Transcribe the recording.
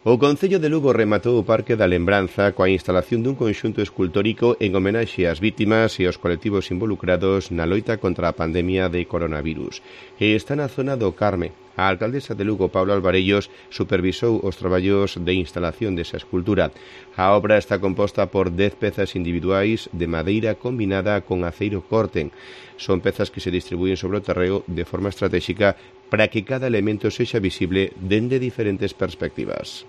O Concello de Lugo rematou o Parque da Lembranza coa instalación dun conxunto escultórico en homenaxe ás vítimas e aos colectivos involucrados na loita contra a pandemia de coronavirus. E está na zona do Carme. A alcaldesa de Lugo, Paula Alvarellos, supervisou os traballos de instalación desa escultura. A obra está composta por 10 pezas individuais de madeira combinada con aceiro corten. Son pezas que se distribúen sobre o terreo de forma estratégica para que cada elemento sexa visible dende diferentes perspectivas.